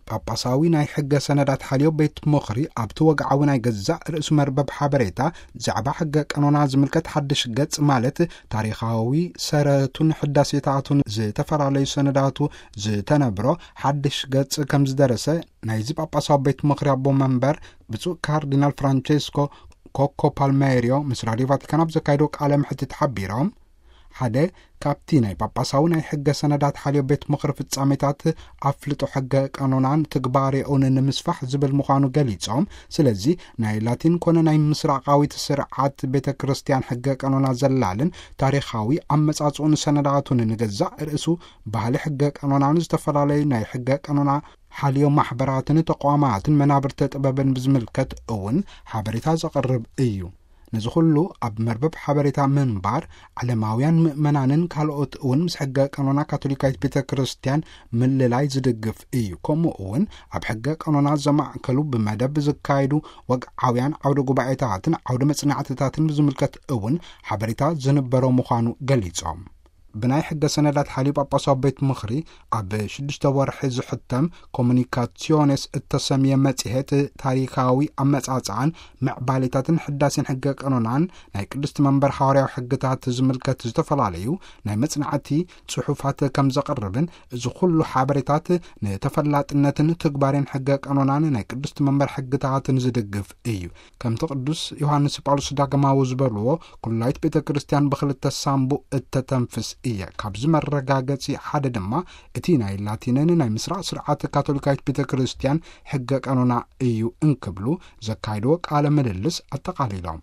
ጳጳሳዊ ናይ ሕገ ሰነዳት ሓልዮ ቤት ምኽሪ ኣብቲ ወግዓዊ ናይ ገዛእ ርእሱ መርበብ ሓበሬታ ዛዕባ ሕገ ቀኖና ዝምልከት ሓድሽ ገጽ፣ ማለት ታሪኻዊ ሰረቱን ሕዳሴታቱን ዝተፈላለዩ ሰነዳቱ ዝተነብሮ ሓድሽ ገጽ ከም ዝደረሰ ናይዚ ጳጳሳዊ ቤት ምኽሪ ኣቦ መንበር ብፁዕ ካርዲናል ፍራንቼስኮ ኮኮ ፓልሜሪዮ ምስ ራድዮ ቫቲካን ኣብ ዘካየዶ ቃለ መሕትት ሓቢሮም፣ ሓደ ካብቲ ናይ ጳጳሳዊ ናይ ሕገ ሰነዳት ሓልዮ ቤት ምኽሪ ፍጻሜታት ኣፍልጦ ሕገ ቀኖናን ትግባሬኡን ንምስፋሕ ዝብል ምዃኑ ገሊጾም፣ ስለዚ ናይ ላቲን ኮነ ናይ ምስራቃዊት ስርዓት ቤተ ክርስቲያን ሕገ ቀኖና ዘላልን ታሪኻዊ ኣመጻጽኡን ሰነዳቱን ንገዛእ ርእሱ ባህሊ ሕገ ቀኖናን ዝተፈላለዩ ናይ ሕገ ቀኖና ሓልዮ ማሕበራትን ተቋማትን መናብርተ ጥበብን ብዝምልከት እውን ሓበሬታ ዘቕርብ እዩ። ነዚ ኩሉ ኣብ መርበብ ሓበሬታ ምንባር ዓለማውያን ምእመናንን ካልኦት እውን ምስ ሕገ ቀኖና ካቶሊካዊት ቤተ ክርስቲያን ምልላይ ዝድግፍ እዩ። ከምኡ እውን ኣብ ሕገ ቀኖና ዘማእከሉ ብመደብ ዝካየዱ ወግዓውያን ዓውደ ጉባኤታትን ዓውደ መጽናዕትታትን ብዝምልከት እውን ሓበሬታ ዝንበሮ ምዃኑ ገሊጾም። ብናይ ሕገ ሰነዳት ሓልዩ ጳጳሳዊ ቤት ምኽሪ ኣብ ሽዱሽተ ወርሒ ዝሕተም ኮሙኒካሲዮኔስ እተሰምየ መጽሔት ታሪኻዊ ኣመጻጽኣን ምዕባሌታትን ሕዳሴን ሕገ ቀኖናን ናይ ቅድስቲ መንበር ሃዋርያዊ ሕግታት ዝምልከት ዝተፈላለዩ ናይ መጽናዕቲ ጽሑፋት ከም ዘቕርብን፣ እዚ ኩሉ ሓበሬታት ንተፈላጥነትን ትግባሬን ሕገ ቀኖናን ናይ ቅድስቲ መንበር ሕግታትን ዝድግፍ እዩ። ከምቲ ቅዱስ ዮሃንስ ጳውሎስ ዳግማዊ ዝበልዎ፣ ኩላይት ቤተ ክርስቲያን ብኽልተ ሳንቡእ እተተንፍስ እየ። ካብዚ መረጋገጺ ሓደ ድማ እቲ ናይ ላቲንን ናይ ምስራቕ ስርዓት ካቶሊካዊት ቤተ ክርስቲያን ሕገ ቀኖና እዩ እንክብሉ ዘካየድዎ ቃለ ምልልስ ኣጠቓሊሎም።